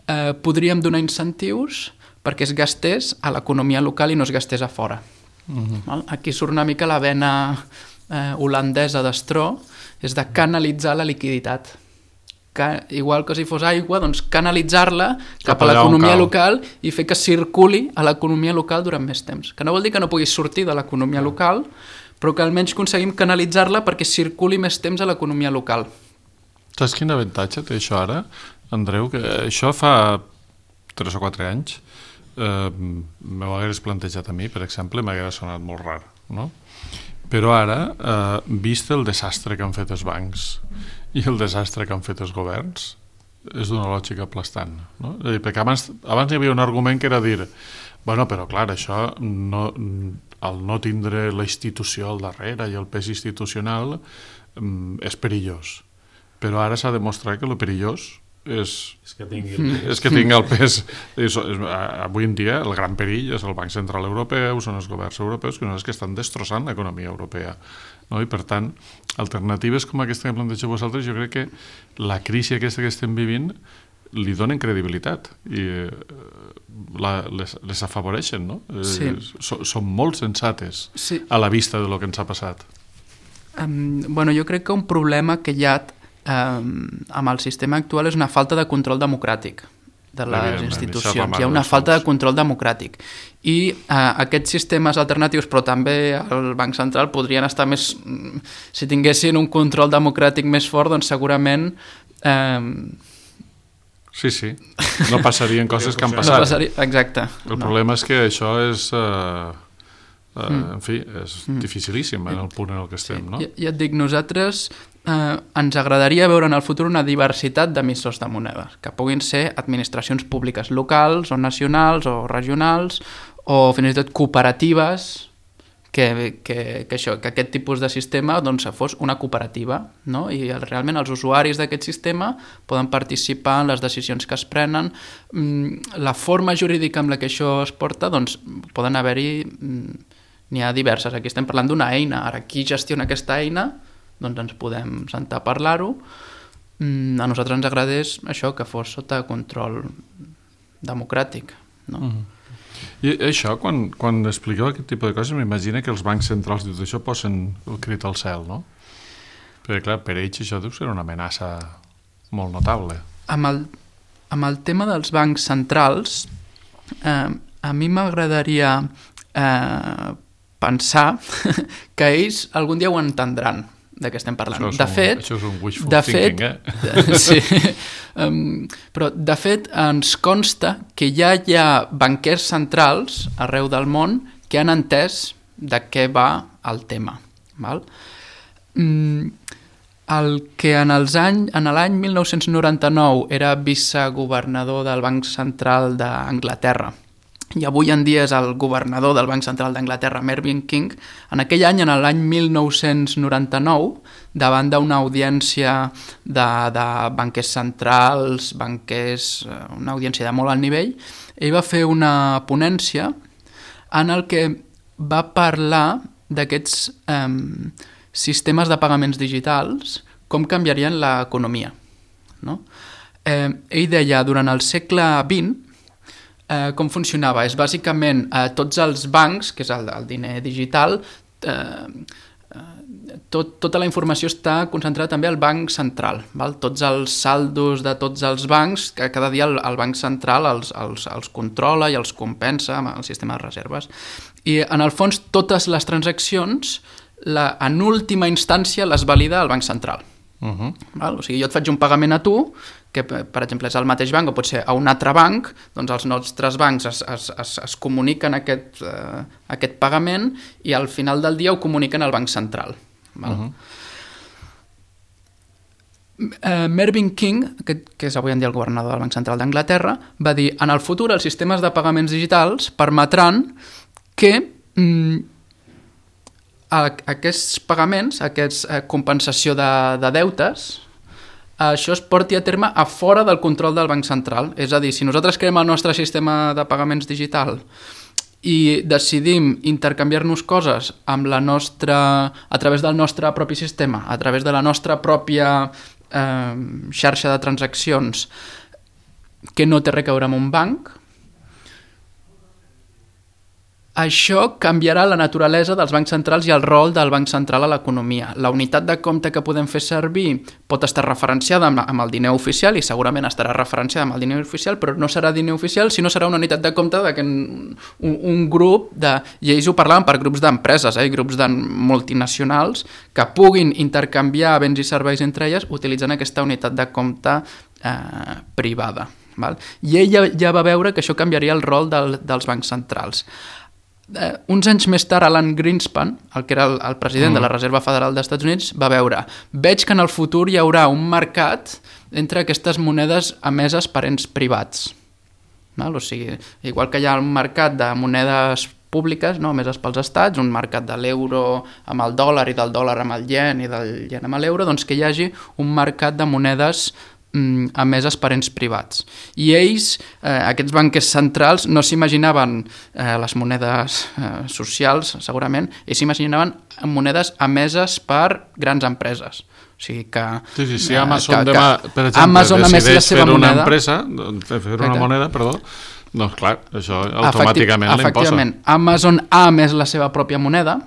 eh, podríem donar incentius perquè es gastés a l'economia local i no es gastés a fora. Uh-huh. Aquí surt una mica la vena eh, holandesa d'Estró, és de canalitzar la liquiditat. Que, igual que si fos aigua, doncs canalitzar-la cap, cap a l'economia local i fer que circuli a l'economia local durant més temps. Que no vol dir que no puguis sortir de l'economia local, però que almenys aconseguim canalitzar-la perquè circuli més temps a l'economia local. Saps quin avantatge té això ara, Andreu? Que això fa tres o quatre anys eh, m'ho hagués plantejat a mi, per exemple, m'hagués sonat molt rar, no? Però ara, eh, vist el desastre que han fet els bancs i el desastre que han fet els governs, és d'una lògica aplastant, no? És a dir, perquè abans, abans hi havia un argument que era dir, bueno, però clar, això no, el no tindre la institució al darrere i el pes institucional és perillós, però ara s'ha demostrat que el perillós és, és que tingui el pes, és que tingui el pes. És, és, avui en dia el gran perill és el Banc Central Europeu, són els governs europeus que no és que estan destrossant l'economia europea, no? I per tant, alternatives com aquesta que plantegeu vosaltres, jo crec que la crisi aquesta que estem vivint li donen credibilitat i eh, la, les, les afavoreixen, no? Sí. Eh, so, són molt sensates, sí, a la vista de lo que ens ha passat. Um, bueno, jo crec que un problema que hi ha Um, amb el sistema actual és una falta de control democràtic de les institucions. Hi ha una falta de control democràtic i uh, aquests sistemes alternatius, però també el Banc Central, podrien estar més, si tinguessin un control democràtic més fort, doncs segurament um... sí, sí, no passarien coses que han passat. No passaria... Exacte. El no. problema és que això és uh, uh, mm. en fi, és mm. dificilíssim en el punt en el que estem, sí. no? Ja, ja et dic, nosaltres eh, ens agradaria veure en el futur una diversitat d'emissors de monedes, que puguin ser administracions públiques locals o nacionals o regionals o fins i tot cooperatives, que, que, que, això, que aquest tipus de sistema doncs, fos una cooperativa, no? I el, realment els usuaris d'aquest sistema poden participar en les decisions que es prenen. La forma jurídica amb la que això es porta, doncs poden haver-hi, n'hi ha diverses. Aquí estem parlant d'una eina, ara qui gestiona aquesta eina, doncs ens podem sentar a parlar-ho. A nosaltres ens agradés això, que fos sota control democràtic, no? Mm-hmm. I això, quan, quan expliqueu aquest tipus de coses, m'imagino que els bancs centrals i tot això posen el crit al cel, no? Perquè, clar, per ells això deu ser una amenaça molt notable. Amb el, amb el tema dels bancs centrals, eh, a mi m'agradaria eh, pensar que ells algun dia ho entendran, de què estem parlant. Això és, de un, fet, això és un wishful de thinking, fet, eh? Sí, um, però de fet ens consta que ja hi ha banquers centrals arreu del món que han entès de què va el tema. Val? Mm, el que en els any, en l'any mil nou-cents noranta-nou era vicegovernador del Banc Central d'Anglaterra i avui en dia és el governador del Banc Central d'Anglaterra, Mervyn King, en aquell any, en l'any mil nou-cents noranta-nou, davant d'una audiència de, de banquers centrals, banquers, una audiència de molt alt nivell, ell va fer una ponència en el que va parlar d'aquests eh, sistemes de pagaments digitals, com canviarien l'economia, no? Eh, ell deia, durant el segle vint, eh, com funcionava? És bàsicament eh, tots els bancs, que és el, el diner digital, eh, tot, tota la informació està concentrada també al banc central. Val? Tots els saldos de tots els bancs, que cada dia el, el banc central els, els, els controla i els compensa amb el sistema de reserves. I en el fons totes les transaccions, la, en última instància, les valida el banc central. Uh-huh. Val? O sigui, jo et faig un pagament a tu, que per exemple és al mateix banc o pot ser a un altre banc, doncs els nostres bancs es, es, es, es comuniquen aquest, uh, aquest pagament i al final del dia ho comuniquen al banc central. Val? Uh-huh. uh, Mervyn King, que, que és avui en dia el governador del Banc Central d'Anglaterra, va dir: en el futur els sistemes de pagaments digitals permetran que mm, aquests pagaments, aquesta eh, compensació de, de deutes, això es porti a terme a fora del control del Banc Central. És a dir, si nosaltres creem el nostre sistema de pagaments digital i decidim intercanviar-nos coses amb la nostra, a través del nostre propi sistema, a través de la nostra pròpia eh, xarxa de transaccions que no té res a veure amb un banc, això canviarà la naturalesa dels bancs centrals i el rol del banc central a l'economia. La unitat de compte que podem fer servir pot estar referenciada amb, amb el diner oficial i segurament estarà referenciada amb el diner oficial, però no serà diner oficial, sinó serà una unitat de compte de que un, un grup de... I ells ho parlaven per grups d'empreses, eh, grups de multinacionals que puguin intercanviar béns i serveis entre elles utilitzant aquesta unitat de compte eh, privada. Val? I ell ja, ja va veure que això canviaria el rol del, dels bancs centrals. Uh, uns anys més tard, Alan Greenspan, el que era el, el president mm. de la Reserva Federal dels Estats Units, va veure: veig que en el futur hi haurà un mercat entre aquestes monedes emeses per ens privats. Val? O sigui, igual que hi ha un mercat de monedes públiques, no, emeses pels estats, un mercat de l'euro amb el dòlar i del dòlar amb el ien i del ien amb l'euro, doncs que hi hagi un mercat de monedes emeses per ens privats. I ells, eh, aquests banquers centrals, no s'imaginaven eh, les monedes eh, socials, segurament, ells s'imaginaven monedes emeses per grans empreses. O sigui que... Sí, sí, si Amazon que, demà, per exemple, Amazon decideix fer una moneda, empresa, fer una moneda, perdó, doncs clar, això automàticament l'imposa. Efectivament, Amazon ha emès la seva pròpia moneda.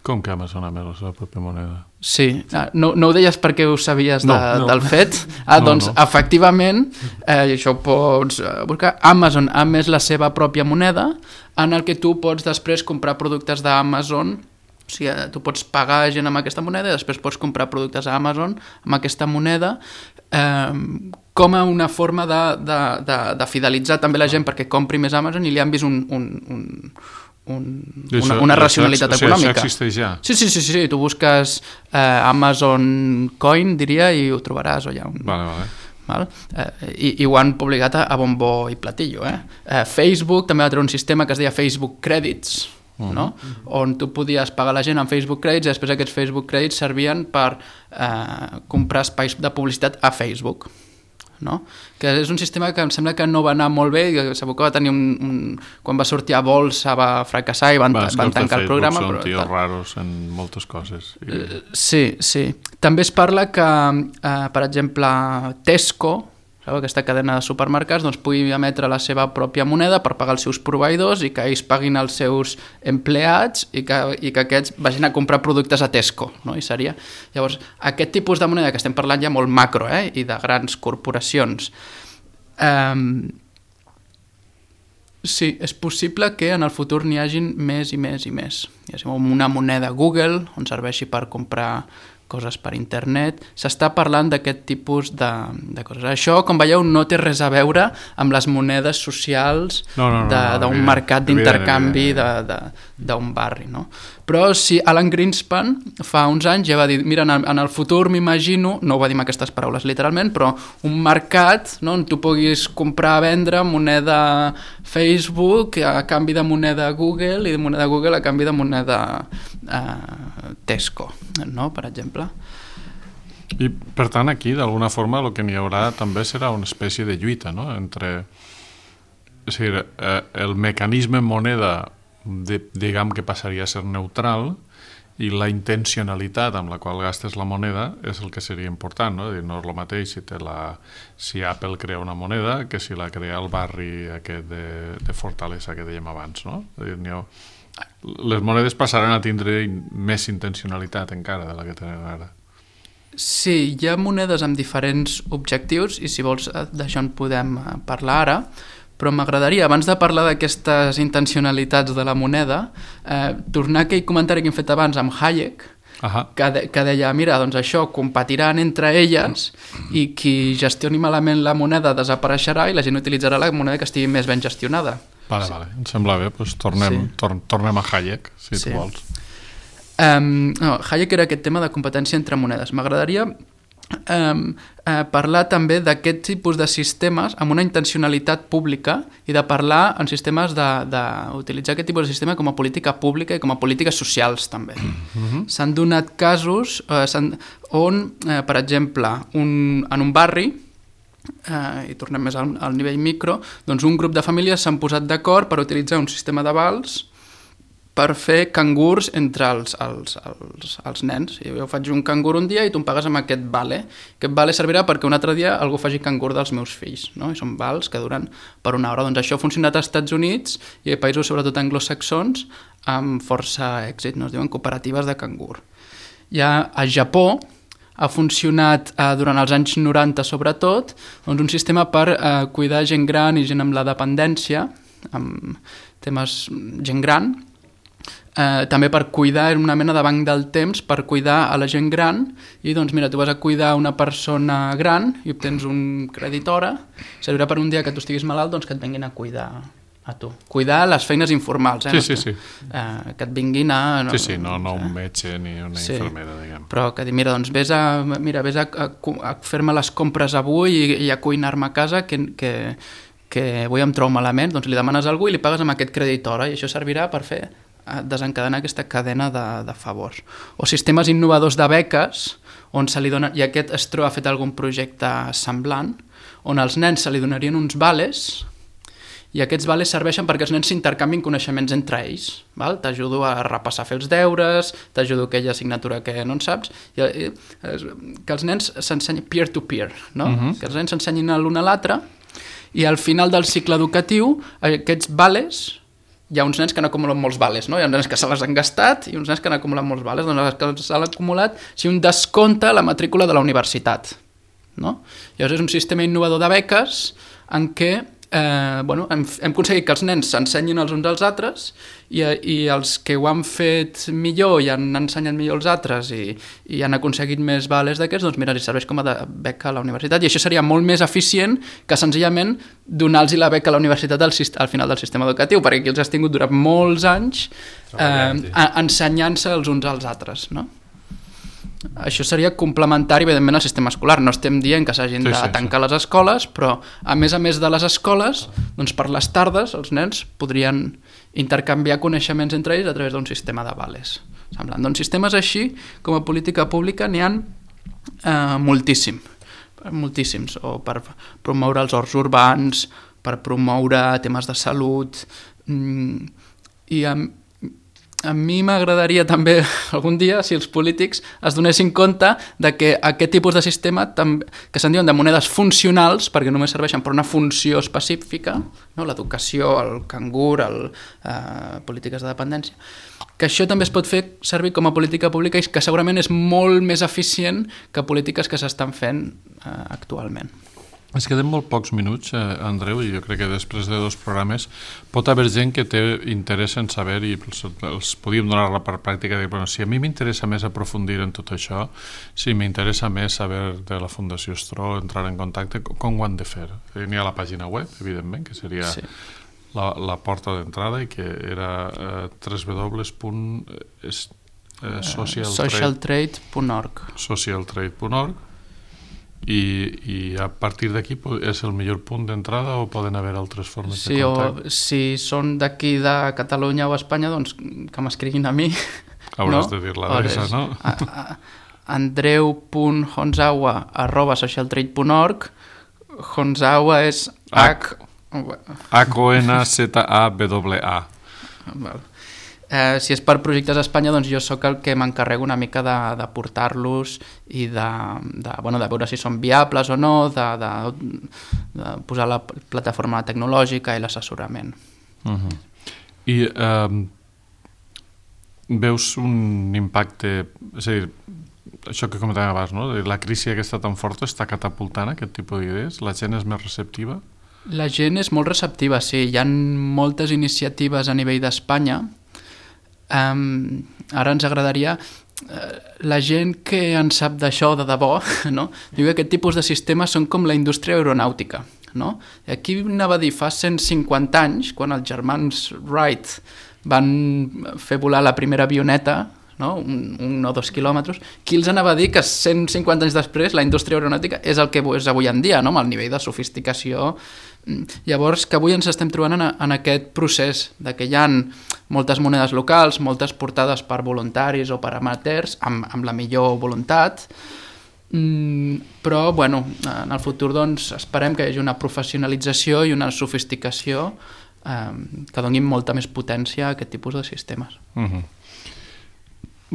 Com que Amazon ha emès la seva pròpia moneda? Sí, no, no ho deies perquè ho sabies de, no, no. del fet? Ah, no, doncs, no. efectivament, eh, això ho pots buscar. Amazon ha emès la seva pròpia moneda en el que tu pots després comprar productes d'Amazon. O sigui, tu pots pagar gent amb aquesta moneda i després pots comprar productes a Amazon amb aquesta moneda, eh, com a una forma de, de, de, de fidelitzar també la gent perquè compri més Amazon i li han vist un... un, un Un, una, això, una racionalitat això, econòmica. Això existeix ja? Sí, sí, sí, sí. Tu busques eh, Amazon Coin, diria, i ho trobaràs. O hi ha un... Vale, vale. Val? Eh, i, i ho han publicat a, a bombo i platillo. Eh? Eh, Facebook també va treure un sistema que es deia Facebook Credits, uh-huh. no? On tu podies pagar la gent amb Facebook Credits i després aquests Facebook Credits servien per eh, comprar espais de publicitat a Facebook. No? Que és un sistema que em sembla que no va anar molt bé i que segur que va tenir un, un... quan va sortir a bolsa va fracassar i van, va, van tancar el programa. Són tios raros en moltes coses. I... Sí, sí. També es parla que, eh, per exemple, Tesco, sabeu, aquesta cadena de supermercats, doncs pugui emetre la seva pròpia moneda per pagar els seus proveïdors i que ells paguin els seus empleats i que, i que aquests vagin a comprar productes a Tesco, no? I seria... Llavors, aquest tipus de moneda que estem parlant ja molt macro, eh? I de grans corporacions. Um, sí, és possible que en el futur n'hi hagin més i més i més. Hi ha una moneda Google on serveixi per comprar coses per internet, s'està parlant d'aquest tipus de, de coses. Això, com veieu, no té res a veure amb les monedes socials no, no, no, d'un no, no, mercat d'intercanvi d'un barri. No? Però si Alan Greenspan fa uns anys ja va dir, mira, en el, en el futur m'imagino, no ho va dir amb aquestes paraules literalment, però un mercat, no, on tu puguis comprar, vendre moneda Facebook a canvi de moneda Google i de moneda Google a canvi de moneda eh, Tesco, no? Per exemple. I per tant aquí d'alguna forma el que n'hi haurà també serà una espècie de lluita, no? Entre, és a dir, eh, el mecanisme moneda de, diguem que passaria a ser neutral i la intencionalitat amb la qual gastes la moneda és el que seria important, no? Dir, no és el mateix si, te la, si Apple crea una moneda que si la crea el barri aquest de, de Fortaleza que dèiem abans, no? Dir, ha, les monedes passaran a tindre més intencionalitat encara de la que tenen ara. Sí, hi ha monedes amb diferents objectius i si vols d'això en podem parlar ara, però m'agradaria, abans de parlar d'aquestes intencionalitats de la moneda, eh, tornar a aquell comentari que hem fet abans amb Hayek, uh-huh. que, de, que deia, mira, doncs això competiran entre elles i qui gestioni malament la moneda desapareixerà i la gent utilitzarà la moneda que estigui més ben gestionada. Vale, sí. vale, em sembla bé, doncs tornem, sí. tor tornem a Hayek, si sí. tu vols. Um, no, Hayek era aquest tema de competència entre monedes. M'agradaria Um, uh, parlar també d'aquest tipus de sistemes amb una intencionalitat pública i de parlar en sistemes d'utilitzar aquest tipus de sistema com a política pública i com a polítiques socials també. Mm-hmm. S'han donat casos uh, on, uh, per exemple, un, en un barri uh, i tornem més al, al nivell micro, doncs un grup de famílies s'han posat d'acord per utilitzar un sistema d'avals per fer cangurs entre els, els, els, els nens. Jo faig un cangur un dia i tu em pagues amb aquest vale. Aquest vale servirà perquè un altre dia algú faci cangur dels meus fills, no? I són vals que duren per una hora. Doncs això ha funcionat als Estats Units i a països sobretot anglosaxons amb força èxit, no? Es diuen cooperatives de cangur. Ja a Japó ha funcionat eh, durant els anys noranta sobretot doncs un sistema per eh, cuidar gent gran i gent amb la dependència, amb temes gent gran, Eh, també per cuidar, una mena de banc del temps per cuidar a la gent gran i doncs mira, tu vas a cuidar una persona gran i obtens un crèdit hora, servirà per un dia que tu estiguis malalt doncs que et vinguin a cuidar a tu. Cuidar les feines informals, eh? Sí, sí, sí. Eh, que et vinguin a... No, sí, sí, no, no un metge ni una sí. infermera, diguem. Però que mira, doncs vés a, mira, vés a, a, a fer-me les compres avui i, i a cuinar-me a casa que, que, que avui em trobo malament, doncs li demanes a algú i li pagues amb aquest crèdit hora i això servirà per fer desencadenar aquesta cadena de, de favors. O sistemes innovadors de beques, on se li dona, i aquest Estro ha fet algun projecte semblant, on als nens se li donarien uns vales, i aquests vales serveixen perquè els nens s'intercanvien coneixements entre ells. T'ajudo a repassar a fer els deures, t'ajudo a aquella assignatura que no en saps, i, i, que els nens s'ensenyin peer-to-peer, no? Uh-huh. Que els nens s'ensenyin l'un a l'altre, i al final del cicle educatiu, aquests vales hi ha uns nens que han acumulat molts vales, no? Hi ha uns nens que se les han gastat i uns nens que han acumulat molts vales. Doncs els que s'han acumulat, si un descompta la matrícula de la universitat, no? Llavors és un sistema innovador de beques en què eh, bueno, hem, hem aconseguit que els nens s'ensenyin els uns als altres i, i els que ho han fet millor i han ensenyat millor els altres i, i han aconseguit més vales d'aquests, doncs mira, els serveix com a de beca a la universitat i això seria molt més eficient que senzillament donar-los la beca a la universitat al, al final del sistema educatiu, perquè aquí els has tingut durant molts anys eh, ensenyant-se els uns als altres, no? Això seria complementari, evidentment, al sistema escolar. No estem dient que s'hagin sí, de sí, tancar sí. les escoles, però a més a més de les escoles, doncs per les tardes els nens podrien intercanviar coneixements entre ells a través d'un sistema de vales. Semblant. Doncs sistemes així, com a política pública, n'hi ha eh, moltíssim, moltíssims, o per promoure els horts urbans, per promoure temes de salut, i amb a mi m'agradaria també algun dia si els polítics es donessin compte de que aquest tipus de sistema que se'n diuen de monedes funcionals perquè només serveixen per una funció específica, no? L'educació, el cangur, el, eh, polítiques de dependència, que això també es pot fer servir com a política pública i que segurament és molt més eficient que polítiques que s'estan fent eh, actualment. Ens queden molt pocs minuts, eh, Andreu, i jo crec que després de dos programes pot haver gent que té interès en saber i els, els podíem donar per pràctica de, bueno, si a mi m'interessa més aprofundir en tot això, si m'interessa més saber de la Fundació Estro, entrar en contacte, com ho han de fer? N'hi ha la pàgina web, evidentment, que seria sí. la, la porta d'entrada i que era eh, w w w punt social trade punt org social trade punt org I, i a partir d'aquí és el millor punt d'entrada o poden haver altres formes sí, de contacte? O, si són d'aquí de Catalunya o Espanya, doncs que m'escriguin a mi. Hauràs no? de dir l'adreça, no? A, a, andreu punt honzawa arroba social trade punt org. Honzawa és H... H O N Z A W A. Val. Eh, si és per projectes a Espanya, doncs jo sóc el que m'encarrego una mica de, de portar-los i de, de, bueno, de veure si són viables o no, de, de, de posar la plataforma tecnològica i l'assessorament. Uh-huh. I eh, veus un impacte, és a dir, això que comentàvem abans, no? La crisi aquesta tan forta està catapultant aquest tipus d'idees? La gent és més receptiva? La gent és molt receptiva, sí. Hi ha moltes iniciatives a nivell d'Espanya. Um, ara ens agradaria... Uh, la gent que en sap d'això de debò, no? Diu que aquest tipus de sistemes són com la indústria aeronàutica. No? I aquí anava a dir, fa cent cinquanta anys, quan els germans Wright van fer volar la primera avioneta, no? un, un o dos quilòmetres, qui els anava a dir que cent cinquanta anys després la indústria aeronàutica és el que és avui en dia, no? Amb el nivell de sofisticació. Llavors, que avui ens estem trobant en, en aquest procés de que hi ha moltes monedes locals, moltes portades per voluntaris o per amateurs, amb, amb la millor voluntat, mm, però, bueno, en el futur, doncs, esperem que hi hagi una professionalització i una sofisticació eh, que donin molta més potència a aquest tipus de sistemes. Uh-huh.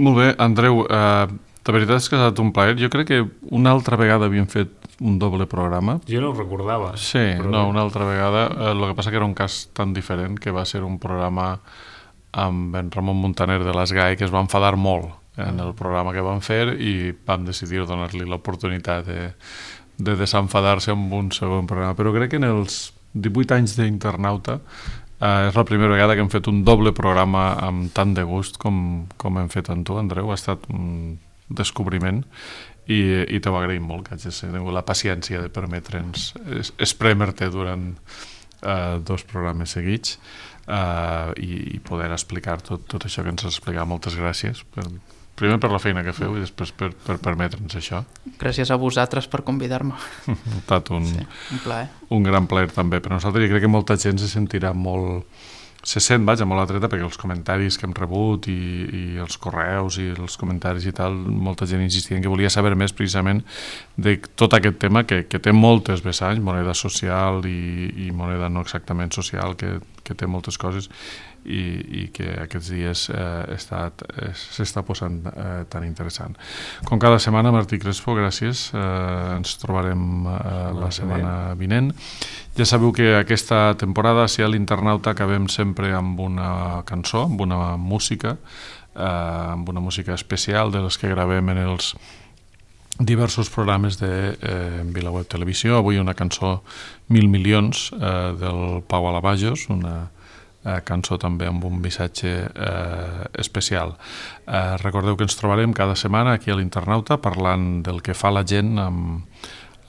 Molt bé, Andreu, eh, de veritat és que ha estat un plaer. Jo crec que una altra vegada havíem fet un doble programa. Jo no ho recordava. Sí, però... no, una altra vegada. El eh, que passa que era un cas tan diferent que va ser un programa amb en Ramon Montaner de l'Esgai, que es va enfadar molt en el programa que van fer i vam decidir donar-li l'oportunitat de, de desenfadar-se amb un segon programa. Però crec que en els divuit anys d'Internauta eh, és la primera vegada que hem fet un doble programa amb tant de gust com, com hem fet amb tu, Andreu. Ha estat un descobriment i, i t'ho agraïm molt, que hagis tingut la paciència de permetre'ns esprémer-te durant eh, dos programes seguits eh, i, i poder explicar tot, tot això que ens has explicat. Moltes gràcies. Per, primer per la feina que feu i després per, per permetre'ns això. Gràcies a vosaltres per convidar-me. Ha estat un, sí, un plaer. Un gran plaer també per nosaltres i crec que molta gent se sentirà molt... se sent, vaja, molt atreta perquè els comentaris que hem rebut i, i els correus i els comentaris i tal, molta gent insistia en que volia saber més precisament de tot aquest tema que, que té moltes vessants, moneda social i, i moneda no exactament social, que, que té moltes coses i, i que aquests dies eh, s'està posant eh, tan interessant. Com cada setmana, Martí Crespo, gràcies. Eh, ens trobarem eh, la setmana vinent. Ja sabeu que aquesta temporada, si a l'Internauta, acabem sempre amb una cançó, amb una música, eh, amb una música especial de les que gravem en els diversos programes de eh, VilaWeb Televisió. Avui una cançó Mil milions eh, del Pau Alavajos, una eh, cançó també amb un missatge eh, especial. Eh, recordeu que ens trobarem cada setmana aquí a l'Internauta parlant del que fa la gent amb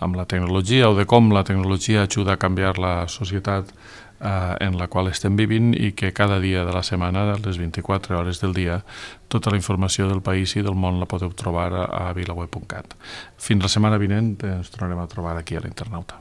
amb la tecnologia o de com la tecnologia ajuda a canviar la societat eh, en la qual estem vivint i que cada dia de la setmana, a les vint-i-quatre hores del dia, tota la informació del país i del món la podeu trobar a, a vilaweb punt cat. Fins la setmana vinent ens tornarem a trobar aquí a l'Internauta.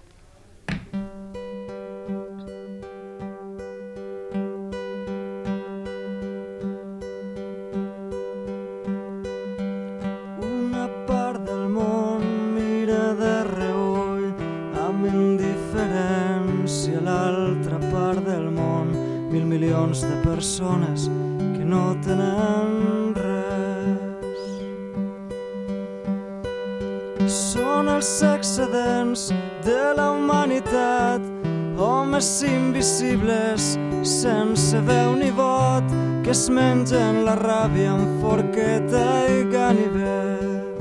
De persones que no tenen res. Són els excedents de la humanitat, homes invisibles sense veu ni vot, que es mengen la ràbia amb forqueta i ganivet.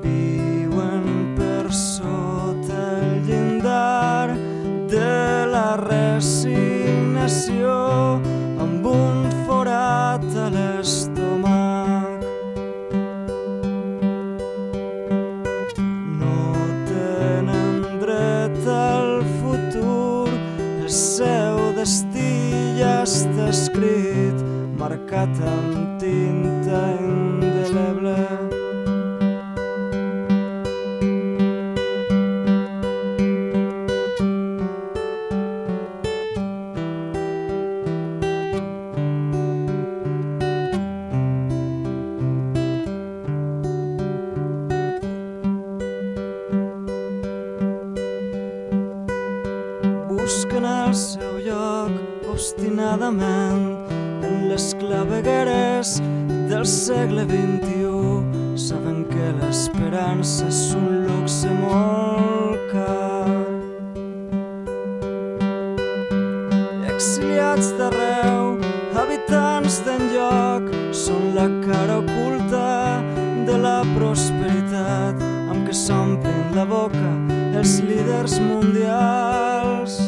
Viuen per sota el llindar de la resignació amb un forat a l'estómac. No tenen dret al futur, el seu destí ja està escrit, marcat amb tinta indeleble. Busquen el seu lloc obstinadament en les clavegueres del segle vint-i-u. Saben que l'esperança és un luxe molt car. Exiliats d'arreu, habitants d'enlloc, són la cara oculta de la prosperitat amb què s'omplen la boca els líders mundials.